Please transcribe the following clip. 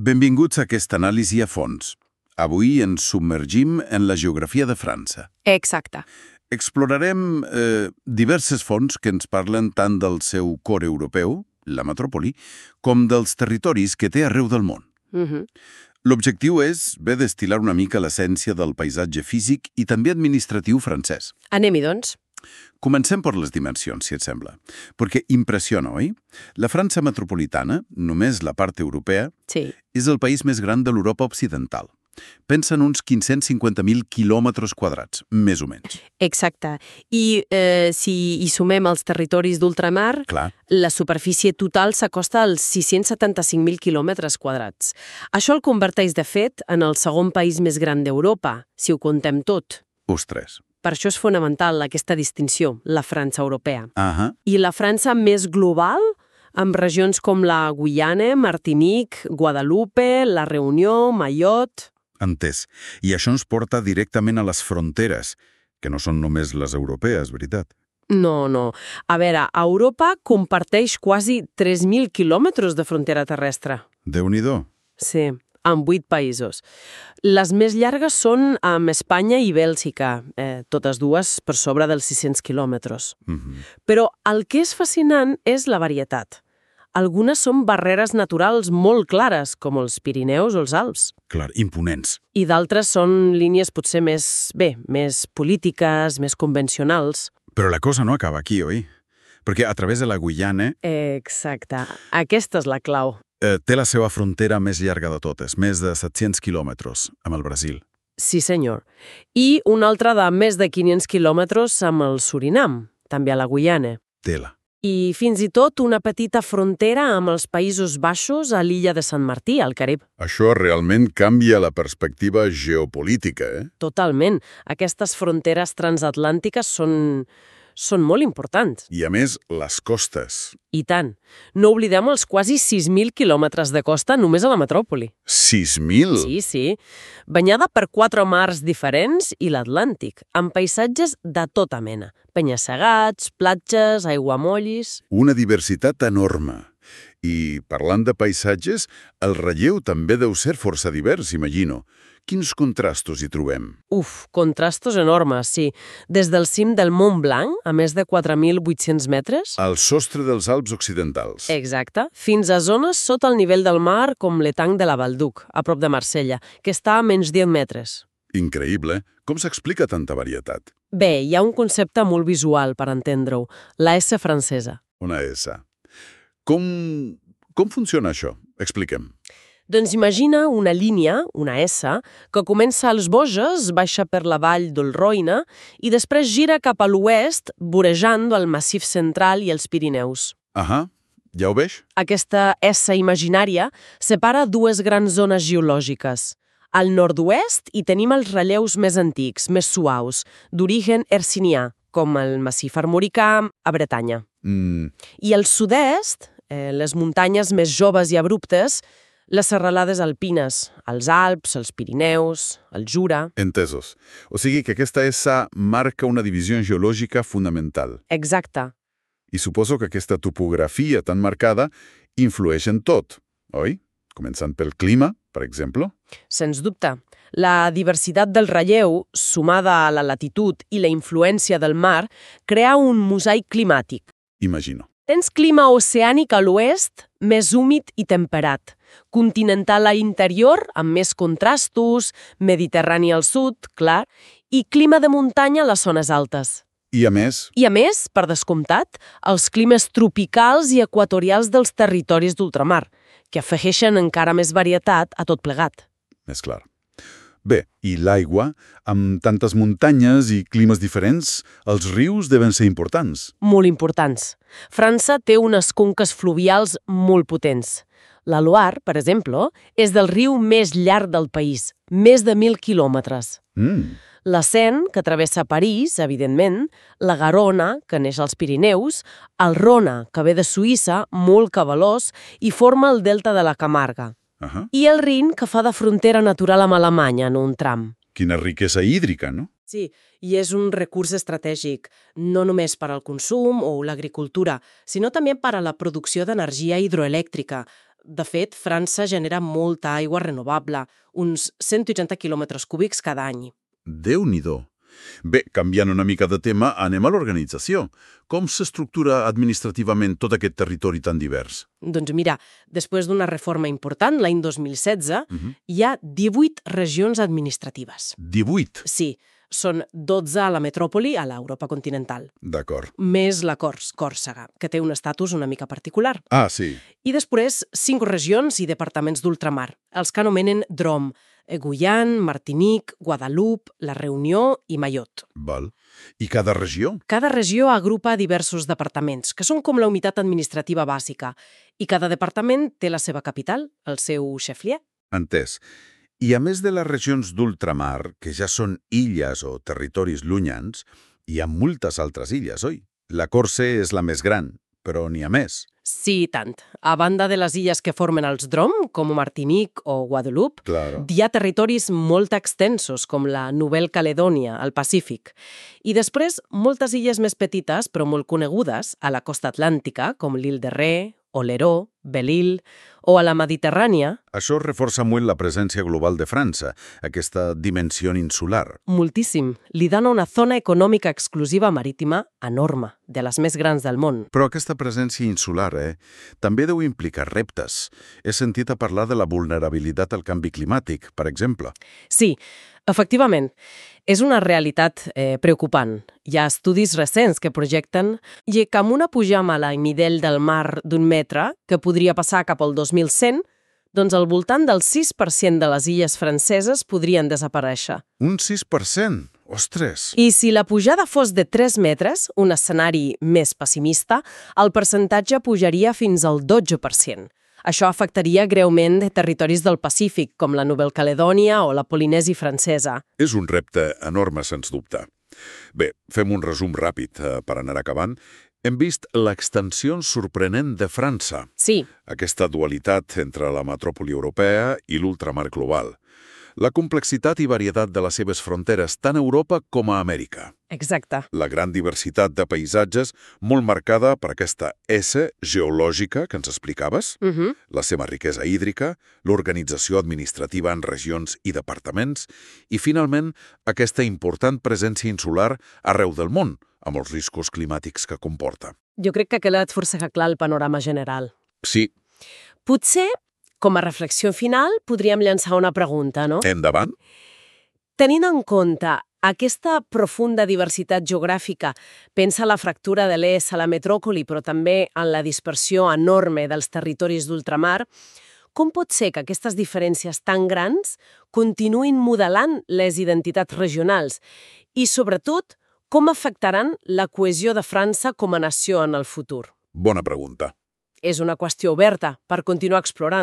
Benvinguts a aquesta anàlisi a fons. Avui ens submergim en la geografia de França. Exacte. Explorarem diverses fonts que ens parlen tant del seu cor europeu, la metròpoli, com dels territoris que té arreu del món. L'objectiu és destil·lar una mica l'essència del paisatge físic i també administratiu francès. Anem-hi, doncs. Comencem per les dimensions, si et sembla, perquè impressiona, oi? La França metropolitana, només la part europea, Sí. és el país més gran de l'Europa occidental. Pensa en uns 550.000 quilòmetres quadrats, més o menys. Exacte. I si hi sumem els territoris d'ultramar, Clar. la superfície total s'acosta als 675.000 quilòmetres quadrats. Això el converteix, de fet, en el segon país més gran d'Europa, si ho contem tot. Ostres. Per això és fonamental aquesta distinció, la França europea. Ahà. I la França més global, amb regions com la Guyana, Martinique, Guadalupe, la Reunió, Mayotte... Entès. I això ens porta directament a les fronteres, que no són només les europees, veritat? No. A veure, Europa comparteix quasi 3.000 quilòmetres de frontera terrestre. Déu-n'hi-do. Sí, amb 8 països. Les més llargues són amb Espanya i Bèlgica, totes dues per sobre dels 600 quilòmetres. Però el que és fascinant és la varietat. Algunes són barreres naturals molt clares, com els Pirineus o els Alps. Clar, imponents. I d'altres són línies potser més polítiques, més convencionals. Però la cosa no acaba aquí, oi? Perquè a través de la Guyana Exacte. Aquesta és la clau. té la seva frontera més llarga de totes, més de 700 quilòmetres, amb el Brasil. Sí, senyor. I una altra de més de 500 quilòmetres amb el Surinam, també a la Guyana. Tela. I fins i tot una petita frontera amb els Països Baixos a l'illa de Sant Martí, al Carib. Això realment canvia la perspectiva geopolítica, Totalment. Aquestes fronteres transatlàntiques són molt importants. I a més, les costes. I tant. No oblidem els quasi 6.000 quilòmetres de costa només a la metròpoli. 6.000? Sí. Banyada per 4 mars diferents i l'Atlàntic, amb paisatges de tota mena. Penya-segats, platges, aiguamolls... Una diversitat enorme. I parlant de paisatges, el relleu també deu ser força divers, imagino. Quins contrastos hi trobem? Contrastos enormes, sí. Des del cim del Mont Blanc, a més de 4.800 metres... Al sostre dels Alps occidentals. Exacte. Fins a zones sota el nivell del mar, com l'Etang de la Valduc, a prop de Marsella, que està a menys 10 metres. Increïble. Com s'explica tanta varietat? Bé, hi ha un concepte molt visual per entendre-ho, la S francesa. Una S. Com funciona això? Expliquem. Doncs imagina una línia, una S, que comença als Vosges, baixa per la vall del Roine i després gira cap a l'oest, vorejant el Massif Central i els Pirineus. Ahà, ja ho veig? Aquesta S imaginària separa dues grans zones geològiques. Al nord-oest hi tenim els relleus més antics, més suaus, d'origen hercinià, com el Massif Armoricà a Bretanya. I al sud-est, les muntanyes més joves i abruptes, les serralades alpines, els Alps, els Pirineus, el Jura... Entesos. O sigui que aquesta S marca una divisió geològica fonamental. Exacte. I suposo que aquesta topografia tan marcada influeix en tot, oi? Començant pel clima, per exemple. Sens dubte. La diversitat del relleu, sumada a la latitud i la influència del mar, crea un mosaic climàtic. Imagino. Tens clima oceànic a l'oest, més húmid i temperat. Continental a l'interior, amb més contrastos, mediterrani al sud, clar, i clima de muntanya a les zones altes. I a més, per descomptat, els climes tropicals i equatorials dels territoris d'ultramar, que afegeixen encara més varietat a tot plegat. més clar. Bé, i l'aigua, amb tantes muntanyes i climes diferents, els rius deuen ser importants. Molt importants. França té unes conques fluvials molt potents. La Loire, per exemple, és del riu més llarg del país, més de 1.000 quilòmetres. La Seine, que travessa París, evidentment, la Garona, que neix als Pirineus, el Rona, que ve de Suïssa, molt cabalós, i forma el delta de la Camarga. I el Rin, que fa de frontera natural amb Alemanya en un tram. Quina riquesa hídrica, no? Sí, i és un recurs estratègic, no només per al consum o l'agricultura, sinó també per a la producció d'energia hidroelèctrica, De fet, França genera molta aigua renovable, uns 180 quilòmetres cúbics cada any. Déu-n'hi-do. Bé, canviant una mica de tema, anem a l'organització. Com s'estructura administrativament tot aquest territori tan divers? Doncs mira, després d'una reforma important, l'any 2016, hi ha 18 regions administratives. 18? Sí, són 12 a la metròpoli, a l'Europa continental. D'acord. Més la Còrsega, que té un estatus una mica particular. Ah, sí. I després 5 regions i departaments d'ultramar, els que anomenen DROM, Guyane, Martinique, Guadalupe, La Reunió i Mayotte. Val. I cada regió? Cada regió agrupa diversos departaments, que són com la unitat administrativa bàsica, i cada departament té la seva capital, el seu chef-lieu. Entès. I a més de les regions d'ultramar, que ja són illes o territoris llunyans, hi ha moltes altres illes, oi? La Corse és la més gran, però n'hi ha més. Sí, tant. A banda de les illes que formen els DROM, com Martinique o Guadalupe, Claro. hi ha territoris molt extensos, com la Nouvelle-Caledònia, al Pacífic. I després, moltes illes més petites, però molt conegudes, a la costa atlàntica, com l'Île de Ré, Oleró, Belle-Île, o a la Mediterrània. Això reforça molt la presència global de França, aquesta dimensió insular. Moltíssim. Li dona una zona econòmica exclusiva marítima enorme, de les més grans del món. Però aquesta presència insular, també deu implicar reptes. He sentit a parlar de la vulnerabilitat al canvi climàtic, per exemple. Sí, efectivament, és una realitat preocupant. Hi ha estudis recents que projecten que amb una pujada al nivell del mar d'un metre, que podria passar cap al 2100, doncs al voltant del 6% de les illes franceses podrien desaparèixer. Un 6%? Ostres! I si la pujada fos de 3 metres, un escenari més pessimista, el percentatge pujaria fins al 12%. Això afectaria greument territoris del Pacífic, com la Nouvelle-Caledònia o la Polinèsia francesa. És un repte enorme, sens dubte. Bé, fem un resum ràpid per anar acabant. Hem vist l'extensió sorprenent de França. Sí. Aquesta dualitat entre la metròpoli europea i l'ultramar global. La complexitat i varietat de les seves fronteres, tant a Europa com a Amèrica. Exacte. La gran diversitat de paisatges, molt marcada per aquesta S geològica que ens explicaves, la seva riquesa hídrica, l'organització administrativa en regions i departaments, i, finalment, aquesta important presència insular arreu del món, amb els riscos climàtics que comporta. Jo crec que ha quedat força clar el panorama general. Sí. Potser, com a reflexió final, podríem llançar una pregunta, no? Endavant. Tenint en compte aquesta profunda diversitat geogràfica, pensa la fractura de l'est a la metròpoli, però també en la dispersió enorme dels territoris d'ultramar, com pot ser que aquestes diferències tan grans continuïn modelant les identitats regionals i, sobretot, com afectaran la cohesió de França com a nació en el futur? Bona pregunta. És una qüestió oberta per continuar explorant.